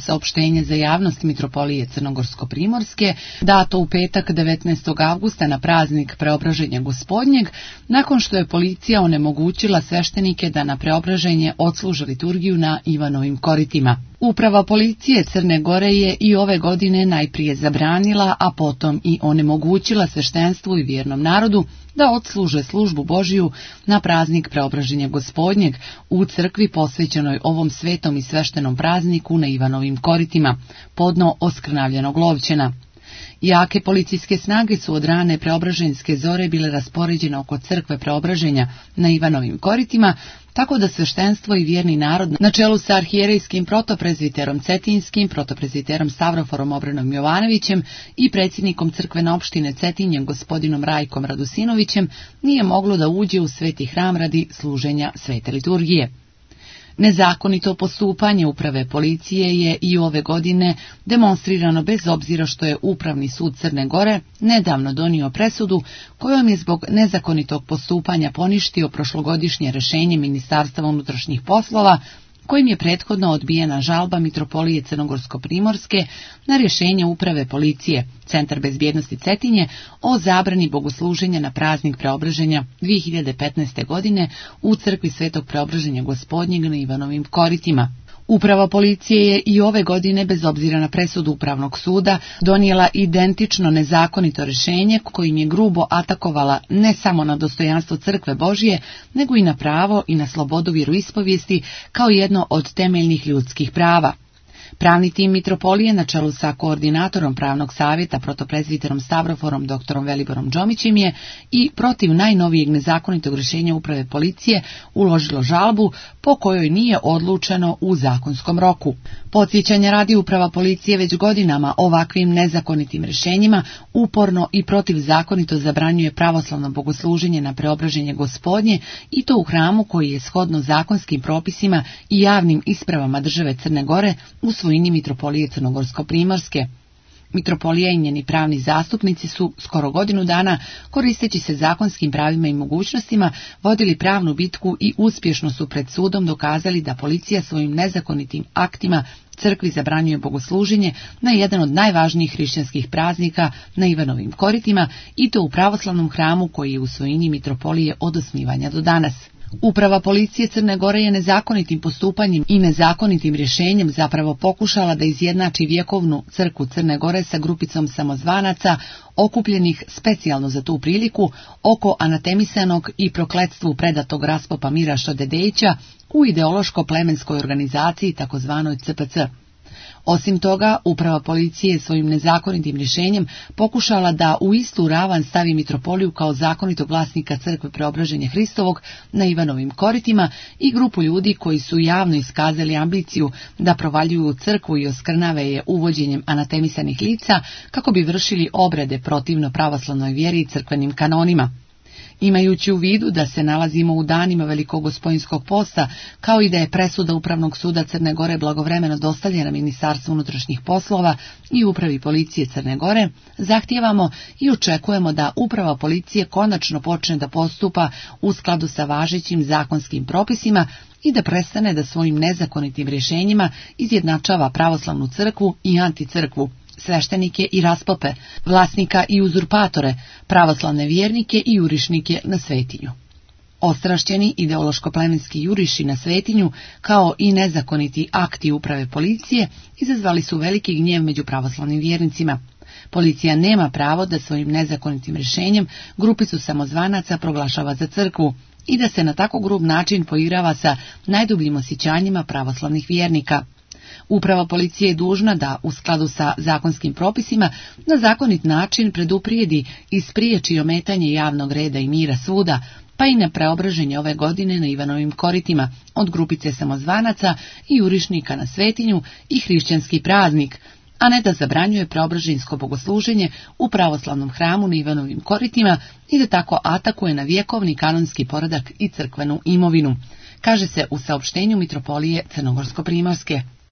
Saopštenje za javnost Mitropolije Crnogorsko-Primorske, dato u petak 19. avgusta na praznik Preobraženja Gospodnjeg, nakon što je policija onemogućila sveštenike da na preobraženje odsluže liturgiju na Ivanovim koritima. Uprava policije Crne Gore je i ove godine najprije zabranila, a potom i onemogućila sveštenstvu i vjernom narodu da odsluže službu Božiju na praznik Preobraženja Gospodnjeg u crkvi posvećenoj ovom svetom i sveštenom prazniku na Ivanovim koritima, podno oskrnavljenog Lovćena. Jake policijske snage su od rane preobraženjske zore bile raspoređene oko crkve Preobraženja na Ivanovim koritima, tako da sveštenstvo i vjerni narod na čelu sa arhijerejskim protoprezviterom Cetinskim, protoprezviterom Stavroforom Obrenom Jovanovićem i predsjednikom crkvene opštine Cetinje gospodinom Rajkom Radusinovićem nije moglo da uđe u sveti hram radi služenja svete liturgije. Nezakonito postupanje uprave policije je i ove godine demonstrirano bez obzira što je Upravni sud Crne Gore nedavno donio presudu kojom je zbog nezakonitog postupanja poništio prošlogodišnje rješenje Ministarstva unutrašnjih poslova kojim je prethodno odbijena žalba Mitropolije Crnogorsko-Primorske na rješenje Uprave policije Centar bezbjednosti Cetinje o zabrani bogosluženja na praznik Preobraženja 2015. godine u crkvi Svetog Preobraženja Gospodnjeg na Ivanovim koritima. Uprava policije je i ove godine, bez obzira na presudu Upravnog suda, donijela identično nezakonito rješenje kojim je grubo atakovala ne samo na dostojanstvo Crkve Božije, nego i na pravo i na slobodu vjeroispovijesti kao jedno od temeljnih ljudskih prava. Pravni tim Mitropolije na čelu sa koordinatorom pravnog savjeta protoprezviterom Stavroforom doktorom Veliborom Džomićem je i protiv najnovijeg nezakonitog rješenja Uprave policije uložilo žalbu po kojoj nije odlučeno u zakonskom roku. Podsjećanja radi, Uprava policije već godinama ovakvim nezakonitim rješenjima uporno i protivzakonito zabranjuje pravoslavno bogosluženje na Preobraženje Gospodnje i to u hramu koji je shodno zakonskim propisima i javnim ispravama države Crne Gore u svojini Mitropolije Crnogorsko-Primorske. Mitropolija i njeni pravni zastupnici su skoro godinu dana, koristeći se zakonskim pravima i mogućnostima, vodili pravnu bitku i uspješno su pred sudom dokazali da policija svojim nezakonitim aktima crkvi zabranjuje bogosluženje na jedan od najvažnijih hrišćanskih praznika na Ivanovim koritima i to u pravoslavnom hramu koji je u svojini Mitropolije od osnivanja do danas. Uprava policije Crne Gore je nezakonitim postupanjem i nezakonitim rješenjem zapravo pokušala da izjednači vjekovnu crkvu Crne Gore sa grupicom samozvanaca okupljenih specijalno za tu priliku oko anatemisanog i prokletstvu predatog raspopa Miraša Dedejića u ideološko-plemenskoj organizaciji takozvanoj CPC. Osim toga, Uprava policije svojim nezakonitim rješenjem pokušala da u istu ravan stavi Mitropoliju kao zakonitog vlasnika crkve Preobraženja Hristovog na Ivanovim koritima i grupu ljudi koji su javno iskazali ambiciju da provaljuju crkvu i oskrnave je uvođenjem anatemisanih lica kako bi vršili obrede protivno pravoslavnoj vjeri i crkvenim kanonima. Imajući u vidu da se nalazimo u danima Velikogospojinskog posta, kao i da je presuda Upravnog suda Crne Gore blagovremeno dostavljena Ministarstvu unutrašnjih poslova i Upravi policije Crne Gore, zahtijevamo i očekujemo da Uprava policije konačno počne da postupa u skladu sa važećim zakonskim propisima i da prestane da svojim nezakonitim rješenjima izjednačava pravoslavnu crkvu i anticrkvu, sveštenike i raspope, vlasnika i uzurpatore, pravoslavne vjernike i jurišnike na Svetinju. Ostrašćeni ideološko-plemenski juriši na Svetinju, kao i nezakoniti akti Uprave policije, izazvali su veliki gnjev među pravoslavnim vjernicima. Policija nema pravo da svojim nezakonitim rješenjem grupicu samozvanaca proglašava za crkvu i da se na tako grub način poigrava sa najdubljim osjećanjima pravoslavnih vjernika. Uprava policije je dužna da, u skladu sa zakonskim propisima, na zakonit način preduprijedi i spriječi ometanje javnog reda i mira svuda, pa i na preobraženje ove godine na Ivanovim koritima od grupice samozvanaca i jurišnika na Svetinju i hrišćanski praznik, a ne da zabranjuje preobraženjsko bogosluženje u pravoslavnom hramu na Ivanovim koritima i da tako atakuje na vjekovni kanonski poredak i crkvenu imovinu, kaže se u saopštenju Mitropolije Crnogorsko-Primorske.